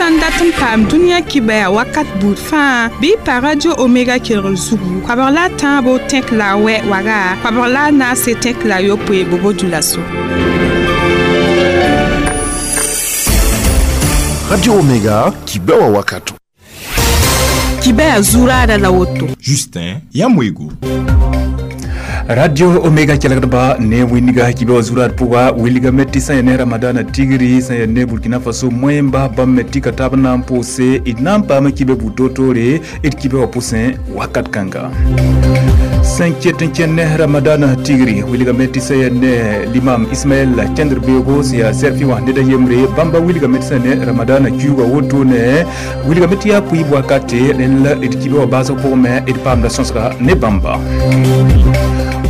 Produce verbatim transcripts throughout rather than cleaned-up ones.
sã n dat n paam dũniyã kibɛa wakat buud fãa bɩ pa Radio Omega kelgr zugu koabg la a tãabo tẽk la a wɛ waga koabg la a naase tẽk la a yopoe bobo dulaso. Radio Omega kibɛwa wakato. Kibɛa zuraada la woto. Justin Yamwego. Radio Omega kelgdba ne winiga kibe zurat puga wiliga meti sã ne Ramadana tigri sã ne Burkina Faso moyemba bãmb me tɩ ka tab na n pʋʋse d na n paama kibe bu-toor-toore d kibe wã pʋsẽ wakat kãnga sẽn ket n kẽnd ne Ramadana tigri wilgame tɩ sã yaa ne l'imam Ismaɛl kẽndr beoogo sẽn yaa sɛrfɩ wã ned a yembre bãmba wilgame tɩ sã ne Ramadana kiuugã wotone wilgame tɩ yaa pʋɩɩb wakate rẽnd la d kibe wã baasg pʋgẽ me d paamda sõsga ne bãmba.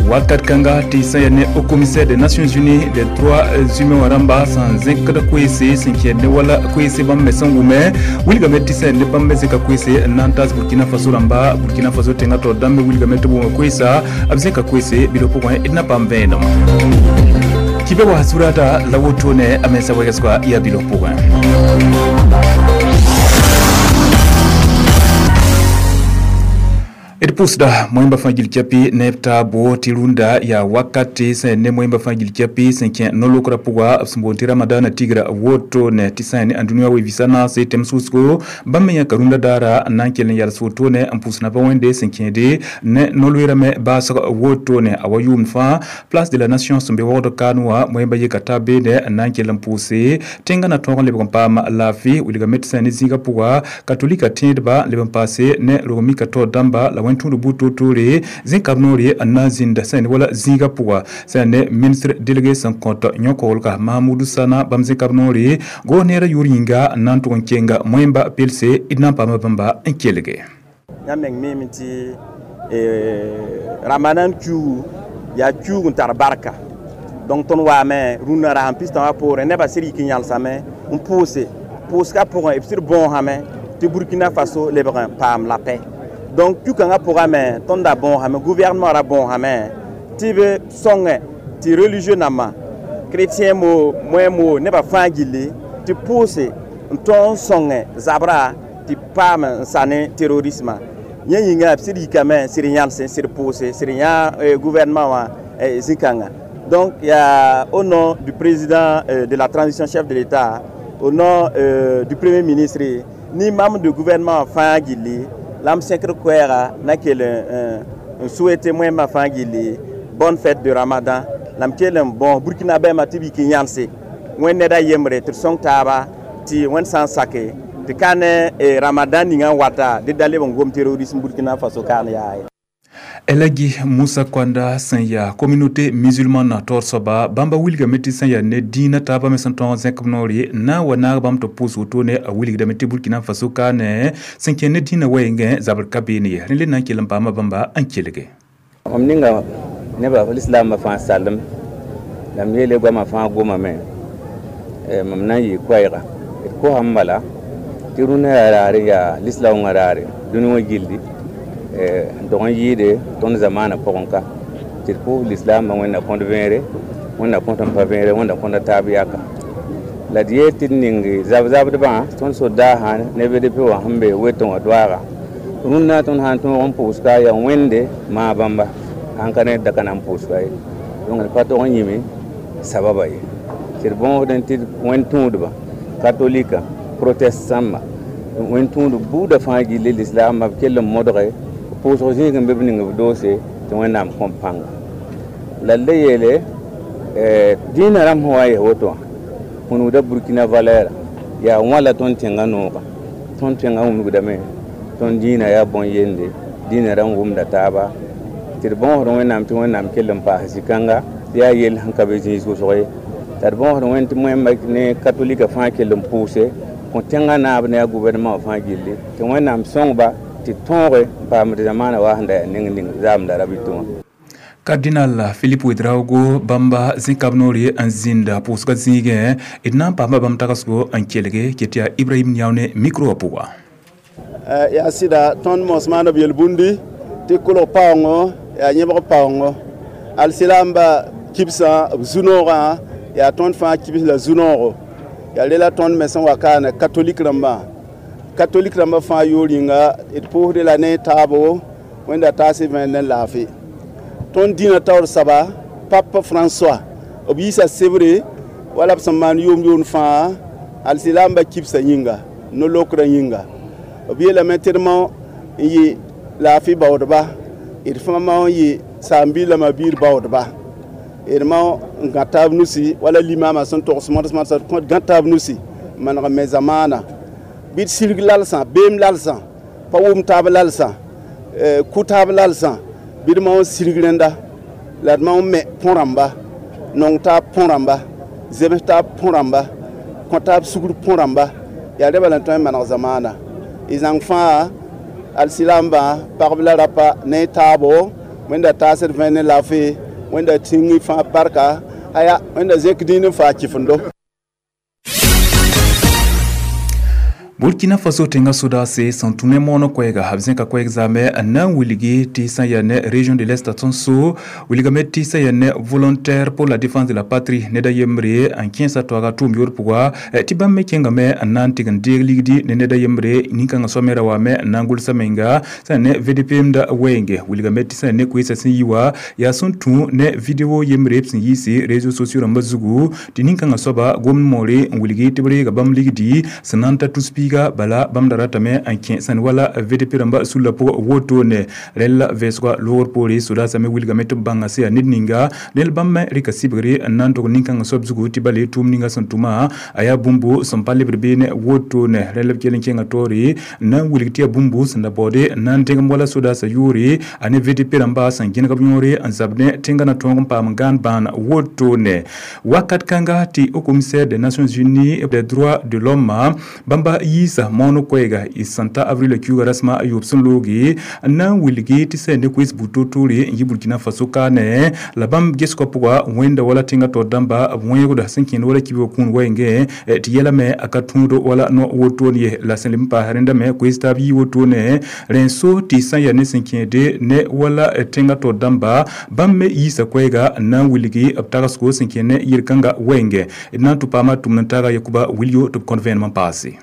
Wakat kãnga tɩ sã yaa ne Haut Commissaire des Nations Unies des droits humains wã rãmba sẽn zẽkd koeese sẽn kẽed ne wala koeese bãmb me sẽn wʋme wilgame tɩ sã yaa ne bãmb me zẽka koeese n na n taas Burkina Faso rãmba Burkina Faso tẽngã taoor dãmb me wilgame tɩ b wʋme koeesa b zẽka koeese bilf pʋgẽ d na paam vẽenem kibe wa surata la wotone a mensa wɛgsga yaa bilf pʋgẽ. D pʋʋsda moẽmba fãa gil kɛpɩ ne b taabo tɩ rũndã yaa wakate sã ne moẽmba fãa gil kɛpɩ sẽn kẽ no-lokrã pʋga b sẽn boond tɩ Ramadana tigra wotone tɩ sã ne ãndũniyã we-vɩsã naase tẽm sʋsgo bãmb me yãka rũndã daara n na n kell n yals wotone n pʋʋs naba Wẽnde sẽn kẽede ne no-loeerã me baasg wotone a wa yʋʋmd fãa Place de la Nation sẽn be waoogd kaan wã moẽmba yeka taab beene n na n kell n pʋʋse tẽngã na tõog n lebg n paam laafɩ wilgame tɩ sã ne zĩigã pʋga katolika tẽedba n leb n paase ne rog-mika taoor dãmba la wẽn tũud buud toor-toore zẽkab noore n na n zĩnda sã ne wala zĩigã pʋga sã ne ministre délégué sẽn kõt yõ-koglga Mahamudu Sana bãmb zẽkab noore goos neerã yʋʋr yĩnga n na n tʋg n kenga moẽmba pelse d na n paama bãmba n kelge. Yãmb meng miime tɩ Ramadan kiuugu yaa kiuug n tar barka donc tõnd waame rũndã rasem pistã wã poorẽ nebã sɩd yik n yãlsame n pʋʋse pʋʋsgã pʋgẽ b sɩd bõosame tɩ Burkina Faso lebg n paam la paix. Donc kiu-kãngã pʋgame tõnd da bõosame gouvernement ra bõosame tɩ b sõngẽ tɩ religieux nambã chrétien mo moẽ mo nebã fãa gilli tɩ pʋʋse n tõog n sõngẽ zabra tɩ paam n sa ne terrorisme yẽ yĩnga b sɩd yikame sɩd yãlse sɩd pʋʋse sɩd yã gouvernement wã zĩ-kãnga. Donc yaa au nom du président de la transition chef de l'État, au nom du premier ministre ni membre du gouvernement fãa gilli la m sẽkr koɛɛga na kell n souhaiter moẽmbã fãa gilli bonne fête de Ramadan la m kell n bõos Burkina bɛɛmã tɩ b yik n yãlse wẽnd ned a yembre tɩ d sõng taaba tɩ wẽnd sã n sake tɩ ka ne Ramadan ninga n wata dɩ da leb n gom terrorisme Burkina Faso kaan yaa ye. Elagi Musa Kwanda sẽn yaa communauté musulmane taoor soaba bãmba wilgame tɩ sẽn yaa ne dĩinã taabã me sẽn tõog n zẽk b noore na n wa naag bãmb tɩ pʋʋs wotone a wilgdame tɩ Burkina Faso kaane sẽn kẽnd ne dĩinã wɛɛngẽ zabr ka beene ye rẽnd le na n kell n paama bãmba n kelge. Mam ninga nebã lislaambã fãa salem la m yeele goamã fãa gomame mam na n yɩ koɛɛga d kosame bala tɩ rũndã yaa raare yaa lislaoongã raare dũni wã gilli n tog n yɩɩde tõnd zamaanã pʋgẽ ka tɩ d pʋʋs lislaambã Wẽnna kõt vẽere Wẽnna kõt n pa vẽere Wẽnna kõta taab yaka la d yeel tɩ d ning zab-zabdbã tõnd sodaasã ne B D P wã sẽn be wetẽ wã doaaga rũndã tõnd sã n tõog n pʋʋska yaa Wẽnde maa bãmba sãn ka ne da ka na n pʋʋska ye donc d pa tog n yĩme sababa ye tɩ d bõosdẽ tɩ wẽnd tũudbã katolika protestãmba wẽnd tũud buudã fãa gilli lislaambã b kell n modge pʋʋsg zĩig n be b ning b doose tɩ Wẽnnaam kõm pãnga la d le yeele dĩinã rãmb sẽn wa n ges woto wã wũnugda Burkina valɛɛra yaa wãla tõnd tẽngã nooga tõnd tẽngã wũnugdame tõnd dĩinã yaa bõn-yende dĩinã rãmb wʋmda taaba tɩ d bõosd Wẽnnaam tɩ Wẽnnaam kell n paas zĩ-kãnga tɩ yaa yell sẽn ka be zĩig wʋsg ye t'a d bõosd Wẽnd tɩ moẽmba ne katolika fãa kell n pʋʋse kõ tẽngã naab ne a gouvernement wã fãa gilli tɩ Wẽnnaam sõngba tɩ tõoge n paamd zamaanã wa sẽn da yaa ning ning zaamda rabɩtẽ wã. Cardinal Philippe Ouedraogo bãmba zẽkab noore n zĩnda pʋʋsgã zĩigẽ d na n paama bãmb tagsgo n kelge ket yaa Ibrahim Niao ne micro wã pʋga. Yaa sɩda tõnd mos maana b yel-bũndi tɩ kolg paoongo yaa yẽbg paoongo alsilaamba kibsã b zu-noogã yaa tõnd fãa kibs la zu-noogo Yaa rela tõnd me sẽn wa kaane katolik rãmbã, katolik rãmbã fãa yoor yĩnga, d pʋʋsd la ne taabo Wẽnda taas y vẽen ne laafɩ. Tõnd dĩnã taoor soaba, Pape François, b yiisa sebre wala b sẽn maan yʋʋm yʋʋnd fãa alsilaambã kibsã yĩnga, no-lokrã yĩnga. B yeelame tɩ d mao n yɩ laafɩ baoodba, d fãa mao n yɩ saam-biig la ma-biir baoodba, d mao n gã taab nusi wala limamã sẽn togs mods modsã, d gã taab nusi n maneg n me zamaana bɩ d sirg lalsã, beem lalsã, pa wʋm taab lalsã, kʋ taab lalsã, bɩ d mao n sirg rẽnda la d mao n me põ-rãmba, nong taab põ-rãmba, zems taab põ-rãmba, kõ taab sugr põ-rãmba. Yaa rẽ bala n tõe n maneg zamaana y zãng fãa alsilaambã, pagb la rapa ne taabo. Wẽnda taasd vẽen ne laafɩ, Wẽnda tĩng y fãa barka, aya Wẽnda zẽk dĩin n faa kɩfendo. Burkina Faso tẽngã sodaase sẽn tũ ne moonã koɛɛga, b zẽka koɛɛg zaame n na n wilgi tɩ sã n yaa ne région de l'Est tõn-so wilgame tɩ sã n yaa ne volontaire pour la défense de la patrie ned a yembre n kẽesa toaga tʋʋm yoor pʋga, tɩ bãmb me kẽngame n na n tɩg n deeg ligdi ne ned a yembre nin-kãngã soab me ra waame n na n gʋlsa menga sã n ne V D P m da wɛɛnge. Wilgame tɩ sã n yaa ne koeesã sẽn yi wa yaa sẽn tũ ne vidéo yembre b sẽn yiisi réseaux sociaux rãmbã zugu tɩ nin-kãngã soaba gomd moore n wilgi tɩ b reega bãmb ligdi sẽn na n ta tus piiga bala bãmb da ratame n kẽ sẽn wala V D P rãmba sulla pʋgã wotone. Rẽl la vɛɛsgã loogr poore sodaasã me wilgame tɩ b bãnga sẽn yaa ned ninga nel bãmb me rɩka sɩbgre n na n tog nin-kãngã soab zugu tɩ bale tʋʋm ninga sẽn tʋma a yaa bũmbu sẽn pa lebd beene wotone. Rẽl b kell n kẽnga taoore n na n wilg tɩ yaa bũmbu sẽn da baoode n na n dẽgem wala sodaasã yʋʋre a ne V D P rãmba sẽn gẽneg b yõore n zab ne tẽngã na tõog n paam n gãan bãan wotone. Wakat kãnga tɩ Haut Commissaire des Nations Unies des droits de l'homme bãmba yiisa moon koɛɛga y sẽn ta avril kiuugã rasmã a yoob sẽn looge n na n wilgi tɩ sã ne koees bu-toor-toore n yi Burkina Faso kaane la bãmb gesgã pʋga wẽnda wala tẽngã taoor dãmba b wẽegda sẽn kẽnd wala kibga kũun wɛɛngẽ tɩ yɛla me a ka tũud wala no wotone ye. La sẽn leb n paas rẽnda me koees taab yii wotone rẽn so tɩ sã n yaa ne sẽn kẽede ne wala tẽngã taoor dãmba bãmb me yiisa koɛɛga n na n wilgi b tagsgo sẽn kẽnd ne yel-kãngã wɛɛngẽ. D na n tʋ paama tʋmd n taaga Yakuba Wilio tɩ b kõt vẽenem n paase.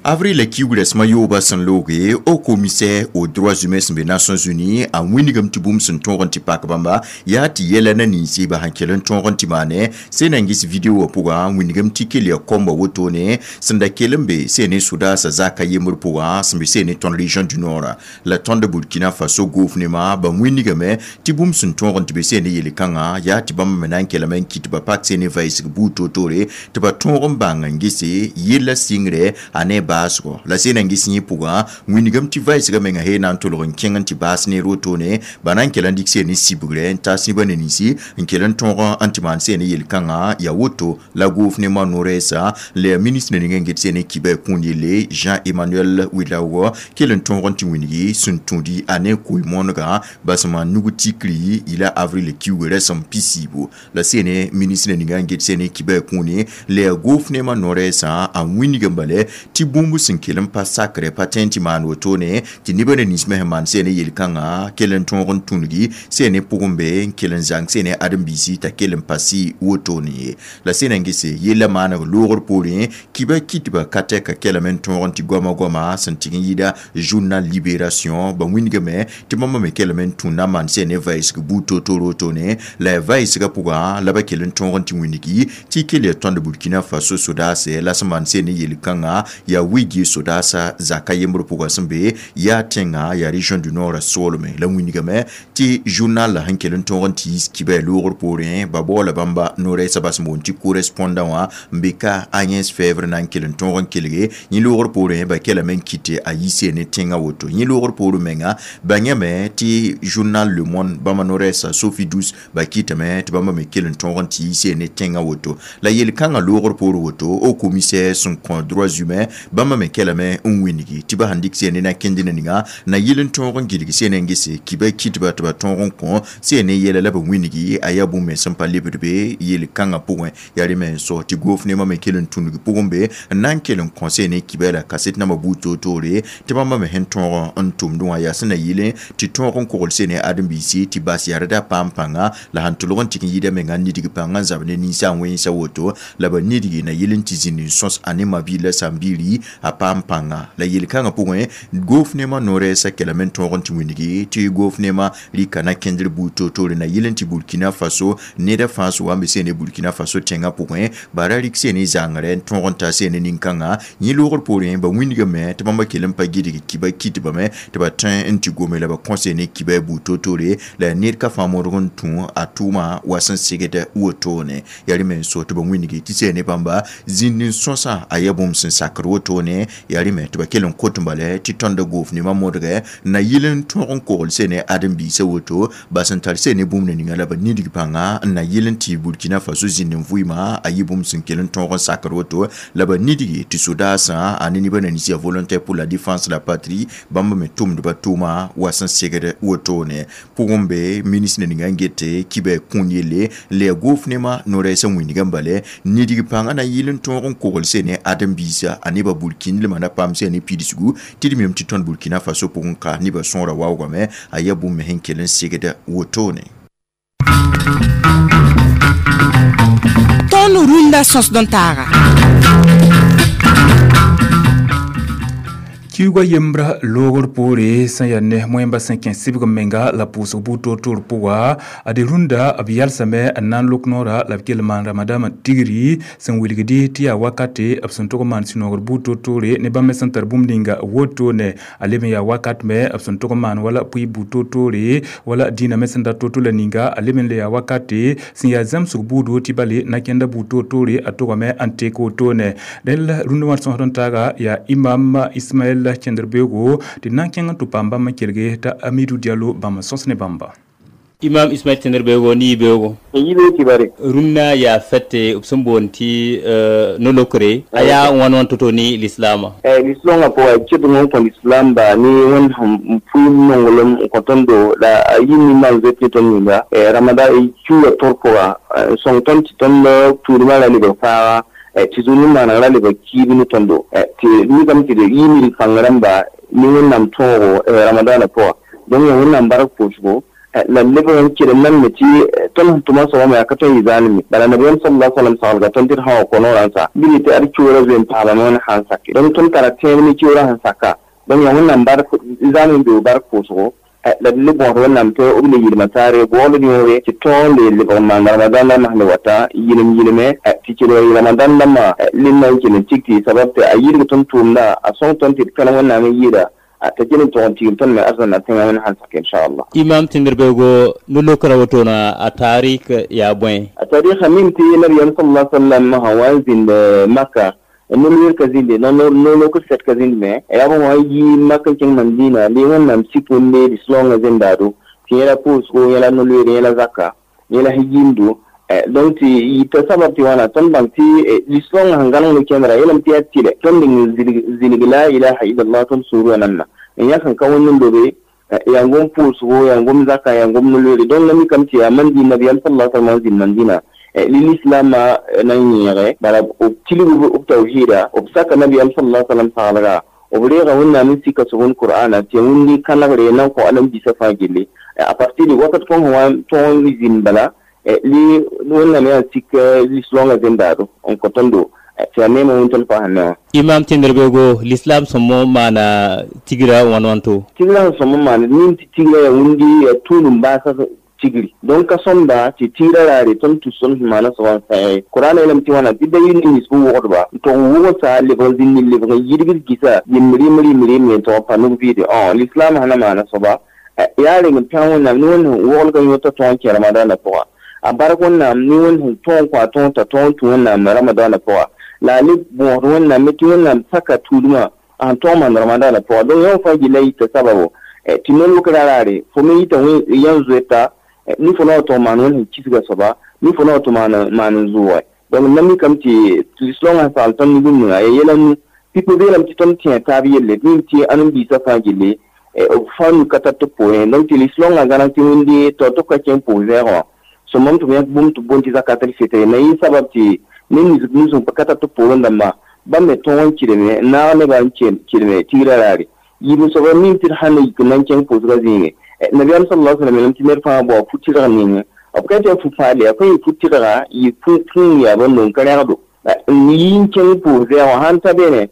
Avril kiugrã sẽma yooba sẽn looge, Haut Commissaire aux droits humains sẽn be Nations Unies a wĩnigame tɩ bũmb sẽn tõog n tɩ pak bãmba yaa tɩ yɛla na ninsi ba sẽn kell n tõog n tɩ maane sẽn na n ges video wã pʋgã wĩnigame tɩ kell yaa kõmba wotone sẽn da kell n be sẽn ne sodaasã zaka yembr pʋgã sẽn be sẽn ne tõnd région du Nord la tõnd Burkina Faso gofnema. Ba wĩnigame tɩ bũmb sẽn tõog n tɩ be sẽn ne yel-kãngã yaa tɩ bãmb me na n kellame n kɩt ba pak sẽn ne vaɩsg buud toor-toore tɩ ba tõog n bãng n gese yella sɩngre a ne baasgo la sẽn na n ges yẽ pʋgã wĩnigame tɩ vaɩsgã menga he na n tʋlg n kẽng n tɩ baas neer wotone ba na n kell n dɩk sẽn ne sibgre n taas nebã ne ninsi n kell n tõog n tɩ maan sẽn ne yel-kãngã yaa woto la gofnemã no-rɛɛsa la yaa ministre ning n get sẽn ne kiba kũun yelle Jean Emmanuel Ouedraogo kell n tõog n tɩ wĩnigi sẽn tũudi a ne koe-moonegã ba sẽn maan nug tikri yɩla avril kiuugã rasem pisiibu. La sẽn ne ministre ning n get sẽn ne kiba kũune la yaa gofnemã no-rɛɛsã a wĩnigame bale tɩ bũmb sẽn kell n pa sakrɛ pa tẽ n tɩ maan wotone tɩ nebã ne nins me sẽn maan sẽn ne yel-kãngã kell n tõog n tũngi sẽn ne pʋgẽ be n kell n zãng sẽn ne ãdem-biisi t'a kell n pa sɩ wotone ye. La sẽn na n gese yella maaneg loogr poorẽ kiba kitba ka tɛka kɛlame n tõog n tɩ goama goama sẽn tɩg n yɩɩda journal Libération ba wĩnigame tɩ bãmba me kellame n tũ na n maan sẽn ne vaɩsg buud toor-toor wotone la yaa vaɩsgã pʋgã la ba kell n tõog n tɩ wĩnigi tɩ kell yaa tõnd Burkina Faso sodaase la sẽn maan sẽn ne yel-kãngã yaa wigi sodaasa zaka yembr pʋgã sẽn be yaa tẽngã yaa région du Nord soolme. La wĩnigame tɩ journal la sẽn kell n tõog n tɩ yiis kiba loogr poorẽ ba baoola bãmba no-rɛɛsã bas n boond tɩ correspondant wã n be ka Agnès Fèvre na n kell n tõog n kelge yẽ loogr poorẽ ba kellame n kɩte a yiis ne tẽngã woto. Yẽ loogr poorẽ menga ba yãme tɩ journal Le Monde bãmba no-rɛɛsã Sophie Douce ba kɩtame tɩ bãmba me kell n tõog n tɩ yiis ne tẽngã woto. La yel-kãngã loogr poor woto Haut Commissaire sẽn kõ droits humains Bãmba me kelame n wĩnigi tɩ ba sẽn dɩk sẽn ne na kẽnd ninga na yɩl n tõog n gilg sẽn n gese kibã kɩtba tɩ ba tõog n kõ sẽn ne yɛla la b wĩnigi a yaa bũmb me sẽn pa lebd be yel-kãngã pʋgẽ. Yaa rẽ me n sao tɩ gofnemã me kell n tũnug pʋgẽ be n na n kell n kõ sẽn ne kibã la kaset nambã buud toor-toore tɩ bãmba me sẽn tõog n tʋmdẽ wã yaa sẽn na yɩlẽ tɩ tõog n kogl sẽn ne ãdem-biisi tɩ bas yarda paam pãnga la sẽn tʋlg n tɩk n yɩɩda menga nidg pãngã n zab ne ninsaam wẽnsa woto la ba nidgi na yɩl n tɩ zĩnd n sõs a ne ma-biir la sãn-biiri a paam pãnga la yel-kãngã pʋgẽ gofnemã no-rɛɛsã kelame n tõog n tɩ wĩnigi tɩ gofnemã rɩka na kẽndr buud toor-toore na yɩl n tɩ Burkina Faso neda fãa sʋ wa n be sẽn ne Burkina Faso tẽngã pʋgẽ bara rɩk sẽn ne zãngrɛ n tõog n ta sẽn ne nin-kãngã yẽ loogr poorẽ ba wĩnigame tɩ bãmba kell n pa gɩdg kiba kɩtbame tɩ ba tõe n tɩ gome la ba kõ sẽn ne kiba buud toor-toore la ned ka fãa modg n tũ a tʋʋma wa sẽn segd wotone. Yaa rẽ me n so tɩ ba wĩnigi tɩ sẽn ne bãmba zĩnd n sõsã a yaa bũmb sẽn sakd wotone. Yaa rẽ me tɩ ba kell n kot n bala tɩ tõnda gofnemã modgɛ na yɩl n tõog n kogl sẽn ne ãdem-biisã woto ba sẽn tar sẽn ne bũmb ninga la ba nidg pãnga n na yɩl n tɩ Burkina Faso zĩnd n vʋɩɩmã a yɩ bũmb sẽn kell n tõog n sakd woto la ba nidgi tɩ sodaasã a ne nebã na nins yaa volontaire pour la défense de la patrie bãmb me tʋmdba tʋʋma wa sẽn segd wotone. Pʋgẽ be ministre ninga n gete kibã kũun yelle n le yaa gofnemã no-rɛɛsã wĩnigã n bala nidg pãngã na yɩl n tõog n kogl sẽn ne ãdem-biisã a nebã burkindlmã na paam sẽn ne pidsgu tɩ d mem tɩ tõnd Burkina Faso pʋgẽ ka nebã sõora waoogame a yaa bũmb me sẽn kell n segd wotone. Tõnd rũndã sõsd n taaga. Kiuga yembra loogr poore sẽn yaa ne moẽmba sẽn kẽ sɩbg menga la pʋʋsg buud toor-toor pʋga ad rũndã b yalsame n na n lok noora la b kell maan ramadãmã tigri sẽn wilgdi tɩ yaa wakate b sẽn tʋg n maan sũ-noogr buud toor-toore ne bãmb me sẽn tar bũmb ninga wotone. A leb n yaa wakat me b sẽn tʋg n maan wala pʋɩ buud toor-toore wala dĩinã me sẽn da to-to la ninga a leb n le yaa wakate sẽn yaa zãmsg buudo tɩ bale na kẽnda buud toor-toore a tʋgame n tek wotone. Rẽl rũndã wã sõsd n taaga yaa imam Ismaɛl Cẽndr-beoogo tɩ na n kẽng n tɩ paam bãmb n kelge t'a Amidou Diallo bãmb n sõs ne bãmba. Imam Ismaël Cẽndr-beoogo ne yibeoogo yibeoog kibare rũnnã yaa fɛte b sẽn boond tɩ no-lokre a yaa wãn wãn to-to ne lislaamã. Lislaamã pʋga kɩdg n kõ lislaam ba ne wẽnd sẽn pʋɩ nonglem n kõ tõndo la a yɩ nin-maam zoet ne tõnd yĩnga ramada kiuugã tʋr pʋga n sõng tõnd tɩ tõnd tuudmã ra lebg faaga tɩ zũ nin-maaneg ra lebg kiib ne tõndo tɩ mikame tɩ d yɩ nid kãng rãmba ne wẽnnaam tõogo ramadaanã pʋga. Donc yaa wẽnnaam bark pʋʋsgo la leb n kelem nan me tɩ tõnd sẽn tʋma soabã me yaa ka tõe n yɩ zaalme bala nabiyaam sallallahu alaihi wasallam saglga tõnd tɩ d sã wa kõ noorã n sa bɩ tɩ ad kiuurã zoe n paamame wẽnd sã n sake. Donc tõnd tara tẽeb ne kiuurã sẽn saka. Donc yaa wẽnnaam bark zaalem beoog bark pʋʋsgo la d le bõos wẽnnaam tɩ b le yɩlma taare googl yõore tɩ tõog n le lebg n maan ramadan rãmbã sẽn le wata yɩlem yɩleme tɩ kelg ramadan rãmbã lenda n kell n tik tɩ sabab tɩ a yɩlg tõnd tʋʋmda a sõng tõnd tɩ d kãlem wẽnnaam n yɩɩda t'a kell n tog n tigim tõnd me arzãnna tẽngã wẽnd sãn sak inchallah. Imam Cẽndr-beoogo no-lokra wotona a tarik yaa bõe? A tarikã mim tɩ nabiyaam sallallahu alaihi wasallam sã wa n zĩnd Maka no-loer ka zĩnde no-lokr sɛt ka zĩnd me yaa bõ wã yi mak n kẽng Mandina le wẽnnaam sik wẽnde lislaongã zẽndaado tɩ yẽla pʋʋsgo yẽla no-loeere yẽla zaka yẽla sẽn yĩndo. Donc tɩ yita sabab tɩ wãna tõnd bãng tɩ lislaongã sẽn gãneng no-kẽndra yeelame tɩ yaa tɩlɛ tõnd ning zilg la ilaha illallah tõnd sũurã nanna n yãk n ka wẽnd n lobe yaa gom pʋʋsgo yaa gom zaka yaa gom no-loeere. Donc la mikame tɩ yaa Mandina nabiyaam sallallahu alaihi wasallam zĩnd Mandina lislaamã na n yẽege bala b tilg b tawhiida b saka nabiyaam sallallahu alaihi wasallam saglga b reega wẽnnaam n sika sobend qur'ana tɩ wẽnd kãnegre na n kõ alambisa fãa gelle a partir de wakat kõn sẽn wa tõog n zĩnd bala li wẽnnaam yaa n sik lislaongã zẽndaado n kõ tõndo tɩ yaa neemã wẽnd tõnd paasã ne wã. Imam Cẽndr-beoogo lislaam sõmb maana tigra wãn wãn to? Tigrã sẽn sõmb n maana nin tɩ tigrã yaa wĩndi yaa tũudum baasã tigri. Donc ka sõmda tɩ tigrã raare tõnd tus tõnd sẽn maana soabã n sãe Qur'an yeelame tɩ wãna tɩ da yɩ nins bɩ wogdba n tog n wʋgsa lebg n zĩnd lebg n yidgd gɩsa yem rɩm rɩm rɩm n tog n pa nug vɩɩde. Lislaam sẽn na maana soaba yaa reng n pẽg wẽnnaam ne wẽnd sẽn woglg n yõta tõog n kẽ ramadaanã pʋga a bark wẽnnaam ne wẽnd sẽn tõog n kõ a tõog t'a tõog n tũ wẽnnaam ramadaanã pʋga la a le bõosd wẽnnaam me tɩ wẽnnaam saka tuudmã a sẽn tõog n maan ramadaanã pʋga. Donc yã fãa gilla yita sababo tɩ no-lokra raare fo me yita yãn zoeta ni fo na wa tog maan wẽnd sẽn kisga soaba ni fo na wa tɩ maan n zʋʋge. Donc na mikame tɩ lislaongã sagl tõnd ne bũmb ninga yaa yɛla nu Pipi beelame tɩ tõnd tẽ taab yelle d mim tɩ ãnam-biisã fãa gilli b fãa nu ka tar tɩ pʋʋsẽ donc tɩ lislaongã gãneg tɩ wẽnde tao tɩ b ka kẽ pʋʋs zɛɛgã wã sõmam tɩ b yãk bũmb tɩ b boond tɩ zakat al-fitr na yɩ sabab tɩ ned nins nus n ka tar tɩ pʋʋrẽ dãmba bãmb me tõog n kɩdeme n naag nebã n kɩdeme tigrã raare yiib soaba mim tɩ d sãn na yik n na n kẽng pʋʋsgã zĩige nabiyaam sallallahu alaihi wasallam tɩ ned fãa bao fu-tɩrg ning b ka tɩ fu paal yaa pa yɩ fu-tɩrga yɩ fũu yaa bõn ka rẽgdo n yi n kẽng pʋʋs zɛɛgã wã sãn ta beene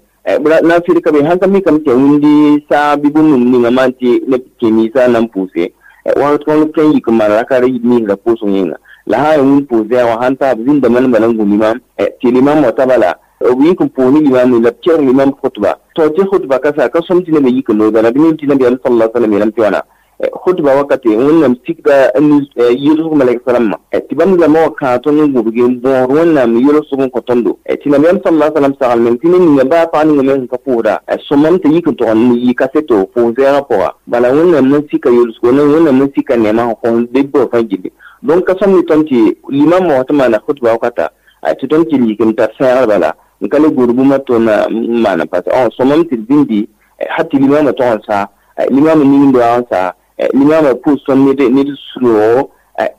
na n fɩd ka be sãn ka mikame tɩ wĩndi saag bɩ bũmb ninga maan tɩ neb kẽ ninsã na n pʋʋse wakat kõn tõe n yik n maan raka ninsã pʋʋsg yĩnga la sã n wĩnd pʋʋs zɛɛgã wã sãn ta b zĩndame n bala n gũ limam tɩ limam wa ta bala b yik n pʋʋs ne limam la b kelg limam khutba tɩ tɩ khutba ka sa ka sõm tɩ neb yik n nooga la b nim tɩ nabiyaam sallallahu alaihi wasallam yeelame tɩ wãna khutba wakate wẽnnaam sikda yʋlsg malɛk salamã tɩ bãmb zãma wã kãag tõnd n gũbge n bõos wẽnnaam yʋlsg n kõ tõndo tɩ nabiyaam sallallahu alaihi wasallam sagl meng tɩ ned ninga baa pag ninga me sẽn ka pʋʋsda sõmam tɩ yik n tog n yɩ kaseto pʋʋs zɛɛgã pʋga bala wẽnnaam na sika yʋlsgo wẽnnaam na sika nɛɛmã sẽn kõ deb fãa gilli donc ka sõm ne tõnd tɩ limam wã tɩ maana khutba wakata tɩ tõnd kell yik n tar sẽegr bala n ka le gũud bũmb tɩ n maana parce sõmam tɩ d zĩndi ha tɩ limamã tog n saa limamã ning-doaag n saa limamã pʋʋs tõnd ned sũ-noogo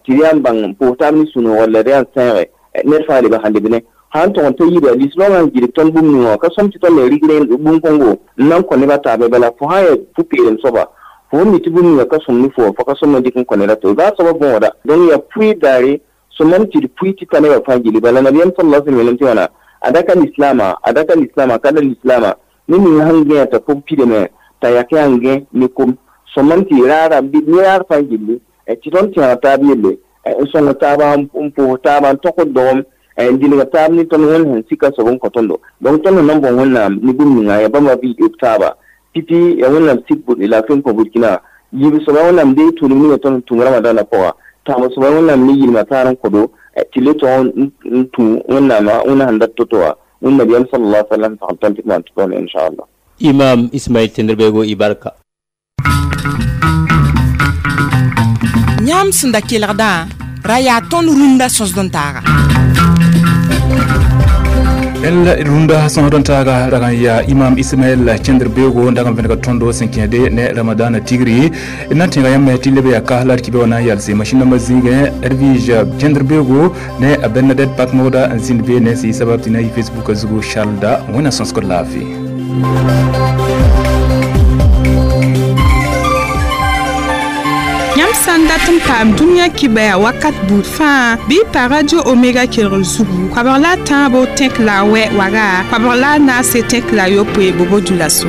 tɩ d yaa n bãng n pʋʋs taab ne sũ-noogo la d yaa n sẽege ned fãa lebg sẽn leb ne sã n tog n ta yida lislaongã n gilg tõnd bũmb ninga wã ka sõm tɩ tõnd me rigr bũmb-kõngo n na n kõ nebã taabã bala fo sã n yaa pu-peelem soaba fo mi tɩ bũmb ninga ka sõm ne fo fo ka sõm n dɩk n kõ ned a to baa soabã bõoda donc yaa pʋɩ daare sõmam tɩ d pʋɩ tɩ ta nebã fãa gilli bala nabiyaam sallallahu alaihi wasallam tɩ wãna a da ka lislaama a da ka lislaama ka da lislaama ne ning sẽn gẽa t'a pʋg pidame t'a yak yaa n gẽ ne kom sõmam tɩ raara ne raar fãa gilli tɩ tõnd tẽeg taab yelle n sõng taaba n pʋʋs taaba n tõkd dogem n dilg taab ne tõnd wẽnd sẽn sika soab n kõ tõndo donc tõnd sẽn na n bõ wẽnnaam ne bũmb ninga yaa bãmba bɩ b taaba pipi yaa wẽnnaam sik laafɩ n kõ Burkina yiib soaba wẽnnaam dee tʋʋlem ninga tõnd sẽn tũm ramadãnã pʋga tãab soaba wẽnnaam ne yilmã taar n kõdo tɩ le tog n tũ wẽnnaamã wẽnna sẽn dat to-to wã wẽnd nabiyaam sallallahu alaihi wasallam sagl tõnd tɩ d maan tɩ tõnd inchallah. Imam Ismail Tenderbego i barka. Yãmb sẽn da kelgdã ra yaa tõnd rũndã sõsd n taaga. El rũndã sõsd n taaga rag n yaa Imam Ismaɛl Cẽnder-beoogo n dag n vẽnega tõndo sẽn kẽede ne Ramadana tigri d na n tẽega yãmb tɩ leb yaa ka la d kibã wã na n yalse masĩn dãmbã zĩigẽ Edwige Cẽnder-beoogo ne a Bernadette Pakmoda n zĩnd be ne sẽn yɩ sabab tɩ na yɩ Facebook zugu Charles wẽnna sõsgd laafɩ. Yãmb sã n dat n paam dũniyã kibɛa wakat buud fãa bɩ pa radio Omega kelgr zugu koabg la a tãabo tẽk la a wɛ waga koabg la a naase tẽk la a yopoe bobo dulaso.